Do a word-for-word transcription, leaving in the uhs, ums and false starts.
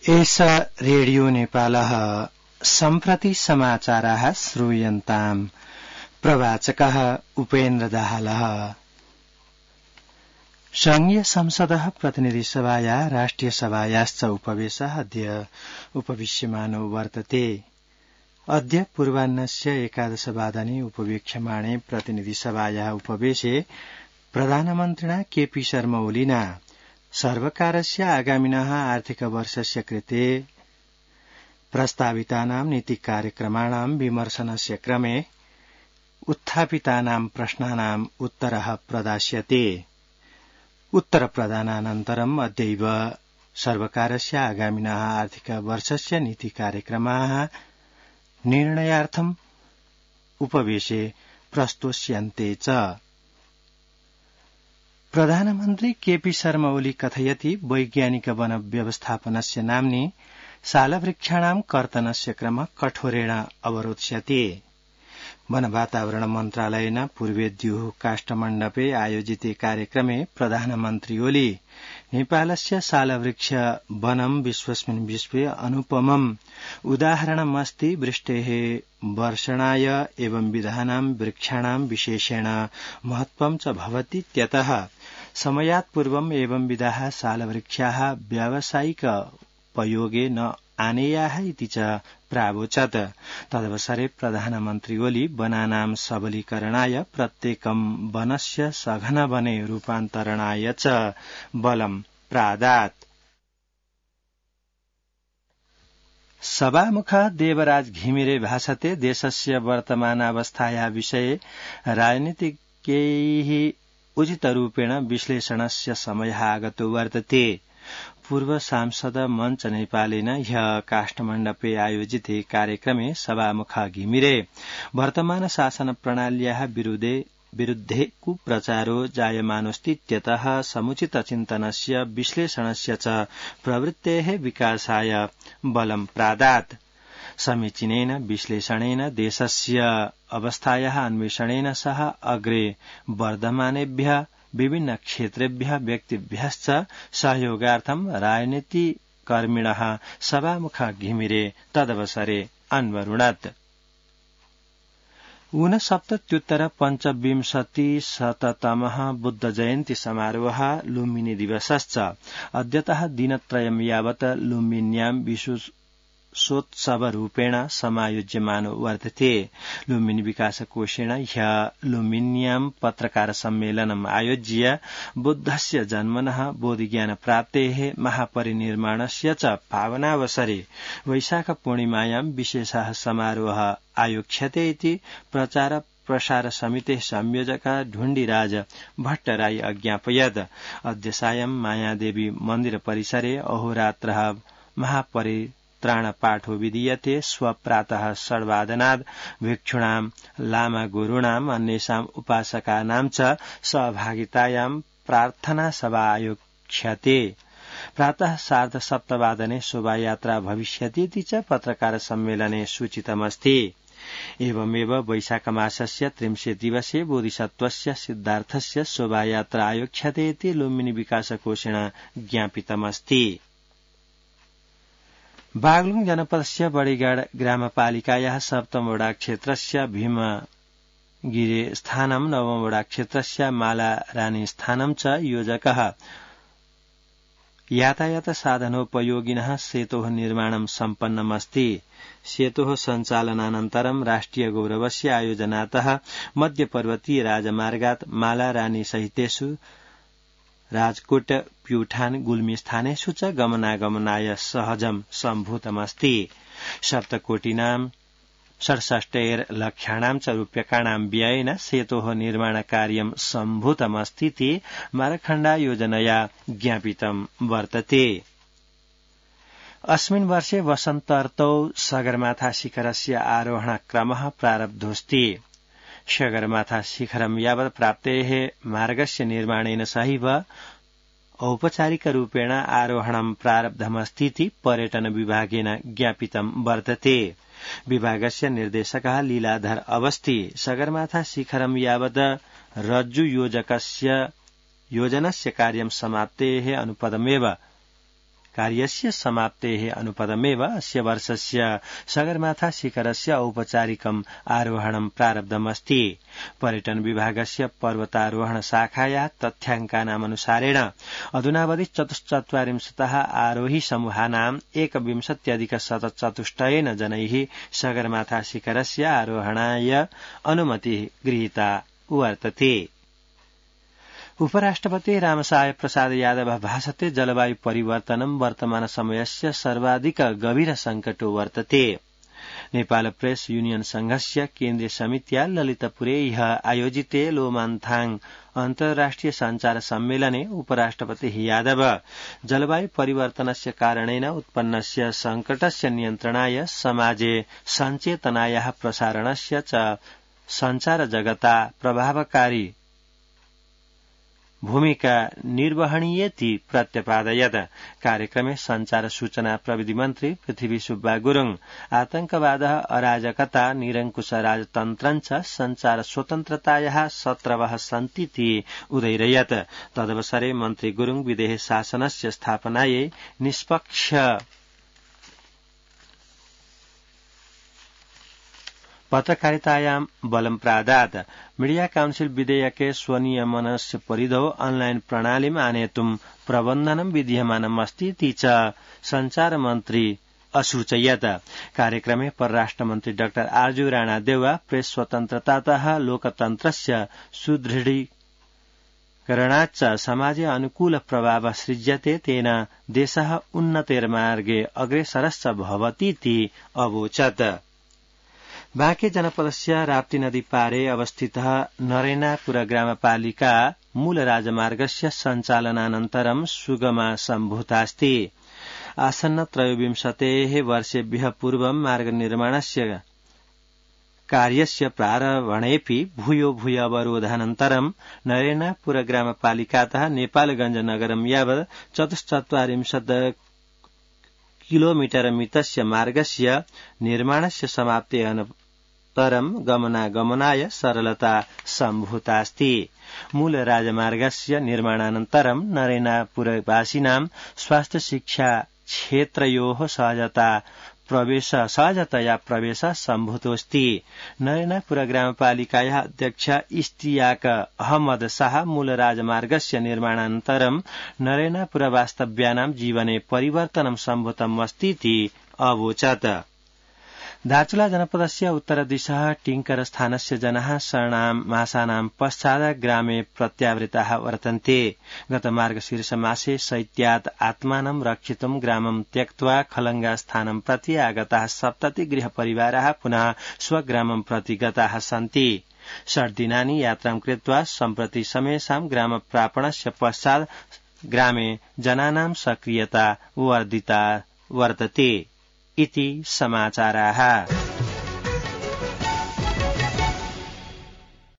एषा रेडियो नेपालः सम्प्रति समाचाराः श्रूयन्ताम्। प्रवाचकः उपेन्द्र दाहालः। संघीय संसदः प्रतिनिधिसभाया राष्ट्रिय सभायाश्च उपवेशः अद्य उपविश्यमानो वर्तते। अद्य पूर्वाह्नस्य एकादशवादने उपवेक्ष्यमाणे प्रतिनिधिसभायाः उपवेशे प्रधानमन्त्रिणा केपी शर्मा ओलीना सर्वकारस्य आगामिनः आर्थिक वर्षस्य कृते प्रस्तावितानां नीतिकार्यक्रमाणां विमर्शनस्य क्रमे उत्थापितानां प्रश्नानाम् उत्तरः प्रदास्यते। उत्तरप्रदानानन्तरम् अद्यैव सर्वकारस्य आगामिनः आर्थिक वर्षस्य नीतिकार्यक्रमाः निर्णयार्थम् उपवेशे प्रस्तोष्यन्ते च। प्रधानमन्त्री केपी शर्मा ओली कथयति वैज्ञानिक वन व्यवस्थापनस्य नाम्नि सालवृक्षाणां कर्तनस्य क्रम कठोरेण अवरोध्स्यते। वन वातावरण मन्त्रालयेन पूर्वेद्युः काष्ठमण्डपे आयोजिते कार्यक्रमे प्रधानमन्त्री ओली नेपालस्य सालवृक्ष वनं विश्वस्मिन् विश्वे अनुपमम् उदाहरणमस्ति। वृष्टेः वर्षणाय एवं विधानां वृक्षाणां विशेषेण महत्वं च भवति। त्यतः समयात् पूर्वम् एवं विधाः सालवृक्षाः व्यावसायिक उपयोगे न आनेयाः इति च प्रावोचत्। तदवसरे प्रधानमन्त्री ओली वनानां सबलीकरणाय प्रत्येकं वनस्य सघन वने रूपान्तरणाय च बलं प्रादात्। सभामुख देवराज घिमिरे भाषते देशस्य वर्तमानावस्थाया विषये राजनीतिज्ञैः उचितरूपेण विश्लेषणस्य समयः आगतो वर्तते। पूर्व सांसद मञ्च नेपालेन ह्यः काष्ठमण्डपे आयोजिते कार्यक्रमे सभामुख घिमिरे वर्तमान शासन प्रणाल्याः विरुद्धे विरुद्धे कुप्रचारो जायमानोऽस्तीत्यतः समुचित चिन्तनस्य विश्लेषणस्य च प्रवृत्तेः विकासाय बलं प्रादात्। समीचीनेन विश्लेषणेन देशस्य अवस्थायाः अन्वेषणेन सह अग्रे वर्धमानेभ्यः विभिन्न क्षेत्रेभ्यः व्यक्तिभ्यश्च सहयोगार्थं राजनीतिकर्मिणः सभामुख घिमिरे तदवसरे अन्वरुणत्। ऊनसप्तत्युत्तर पञ्चविंशतिशततमः बुद्ध जयन्ती समारोहः लुम्बिनी दिवसश्च अद्यतः दिनत्रयं यावत् लुम्बिन्यां विशेषोत्सवरूपेण समायोज्यमानो वर्तते। लुम्बिनी विकासकोषेण ह्यः लुम्बिन्यां पत्रकार सम्मेलनम् आयोज्य बुद्धस्य जन्मनः बोधिज्ञानप्राप्तेः महापरिनिर्वाणस्य च पावनावसरे वैशाख पूर्णिमायां विशेषः समारोहः आयोक्ष्यते इति प्रचार प्रसार समितेः संयोजक ढुण्डीराज भट्टराई अज्ञापयत्। अद्य सायं मायादेवी मन्दिर परिसरे अहोरात्रः महापरि त्राणपाठो विधीयते। स्वप्रातः षड्वादनाद् भिक्षूणां लामा गुरूणाम् अन्येषाम् उपासकानां च सहभागितायां प्रार्थना सभा आयोक्ष्यते। प्रातः सार्ध सप्तवादने शोभायात्रा भविष्यतीति च पत्रकार सम्मेलने सूचितमस्ति। एवमेव वैशाख मासस्य त्रिंशे दिवसे बोधिसत्त्वस्य सिद्धार्थस्य शोभायात्रा आयोक्ष्यते इति लुम्बिनी विकासकोषेण ज्ञापितमस्ति। बागलुङ जनपदस्य बड़ीगढ़ ग्रामपालिकायाः सप्तम वडा क्षेत्रस्य भीमगिरे स्थानं नवम वडा क्षेत्रस्य मालारानी स्थानं च योजकः यातायात साधनोपयोगिनः सेतोः निर्माणं सम्पन्नमस्ति। सेतोः सञ्चालनानन्तरं राष्ट्रिय गौरवस्य आयोजनातः मध्यपर्वतीय राजमार्गात् मालारानी सहितेषु राजकोट प्यूठान गुल्मी स्थानेषु च गमनागमनाय सहजं सम्भूतमस्ति। सप्तकोटिनां षड्षष्टैर्लक्षाणां च रूप्यकाणां व्ययेन सेतोः निर्माणकार्यं सम्भूतमस्तीति मारखण्डा योजनया ज्ञापितं वर्तते। अस्मिन् वर्षे वसन्तर्तौ सगरमाथा शिखरस्य आरोहणक्रमः प्रारब्धोऽस्ति। सगरमाथा शिखरं यावत् प्राप्तेः मार्गस्य निर्माणेन सहैव औपचारिकरूपेण आरोहणं प्रारब्धमस्तीति पर्यटन विभागेन ज्ञापितं वर्तते। विभागस्य निर्देशकः लीलाधर अवस्थी सगरमाथा शिखरं यावत् रज्जु योजकस्य योजनस्य कार्यं समाप्तेः अनुपदमेव कार्यस्य समाप्तेः अनुपदमेव अस्य वर्षस्य सगरमाथा शिखरस्य औपचारिकम् आरोहणं प्रारब्धमस्ति। पर्यटन विभागस्य पर्वतारोहण शाखाया तथ्याङ्कानामनुसारेण अधुनावधि चतुश्चत्वारिंशतः आरोही समूहानाम् एकविंशत्यधिक शतचतुष्टयेन जनैः सगरमाथा शिखरस्य आरोहणाय अनुमतिः गृहीता वर्तते। उपराष्ट्रपति रामसाय प्रसाद यादव भाषते जलवायु परिवर्तनं वर्तमान समयस्य सर्वाधिक गभीर संकटो वर्तते। नेपाल प्रेस यूनियन संघस्य केन्द्रीय समित्या ललितपुरे ह्यः आयोजिते लोमान्थाङ अन्तर्राष्ट्रिय सञ्चार सम्मेलने उपराष्ट्रपति यादव जलवायु परिवर्तनस्य कारणेन उत्पन्नस्य संकटस्य नियन्त्रणाय समाजे सञ्चेतनायाः प्रसारणस्य च सञ्चार जगता प्रभावकारी भूमिका निर्वहणीयेति प्रत्यपादयत्। कार्यक्रमे संचार सूचना प्रविधि मन्त्री पृथ्वी सुब्बा गुरुङ आतंकवादः अराजकता निरङ्कुश राजतन्त्रञ्च संचार स्वतन्त्रतायाः शत्रवः सन्तीति उदैरयत्। तदवसरे मन्त्री गुरुङ विदेह शासनस्य स्थापनायै निष्पक्ष पत्रकारितायां बलं प्रादात्। मीडिया काउन्सिल विधेयके स्वनियमनस्य परिधौ ऑनलाइन प्रणालीम् आनेतुं प्रबन्धनं विधीयमानमस्ति इति च संचार मन्त्री असूचयत्। कार्यक्रमे परराष्ट्र मन्त्री डाक्टर आर्जु राणादेवा प्रेस स्वतन्त्रतातः लोकतन्त्रस्य सुदृढीकरणाच्च समाजे अनुकूल प्रभावः सृज्यते तेन देशः उन्नतेर्मार्गे अग्रेसरश्च भवतीति अवोचत्। बाँके जनपदस्य राप्ती नदी पारे अवस्थितः नरेनापुर ग्रामपालिका मूल राजमार्गस्य सञ्चालनानन्तरं सुगमा सम्भूतास्ति। आसन्न त्रयोविंशतेः वर्षेभ्यः पूर्वं मार्गनिर्माणस्य कार्यस्य प्रारम्भणेऽपि भूयो भूय अवरोधानन्तरं नरेनापुर ग्रामपालिकातः नेपालगञ्ज नगरं यावत् चतुश्चत्वारिंशत् किलोमीटर मितस्य मार्गस्य निर्माणस्य समाप्तेः अनन्तरं गमनागमनाय सरलता सम्भूतास्ति। मूल राजमार्गस्य निर्माणानन्तरं नरेनापुरवासिनां स्वास्थ्य शिक्षा क्षेत्रयोः सहजता प्रवेश सहजतया प्रवेश सम्भूतोऽस्ति। नरेनापुर ग्रामपालिकायाः अध्यक्ष इस्तियाक अहमद शाह मूल राजमार्गस्य निर्माणानन्तरं नरेनापुर वास्तव्यानां जीवने परिवर्तनं सम्भूतम् अस्तीति अवोचत्। दार्चुला जनपदस्य उत्तरदिशः टिङ्कर स्थानस्य जनाः षण्णां मासानां पश्चात् ग्रामे प्रत्यावृताः वर्तन्ते। गत मार्गशीर्षमासे शैत्यात् आत्मानं रक्षितुं ग्रामं त्यक्त्वा खलङ्गा स्थानं प्रति आगताः सप्तति गृहपरिवाराः पुनः स्वग्रामं प्रति गताः सन्ति। षड्दिनानि यात्रां कृत्वा सम्प्रति समेषां ग्रामप्रापणस्य पश्चात् ग्रामे जनानां सक्रियता वर्धिता वर्तते इति समाचाराः।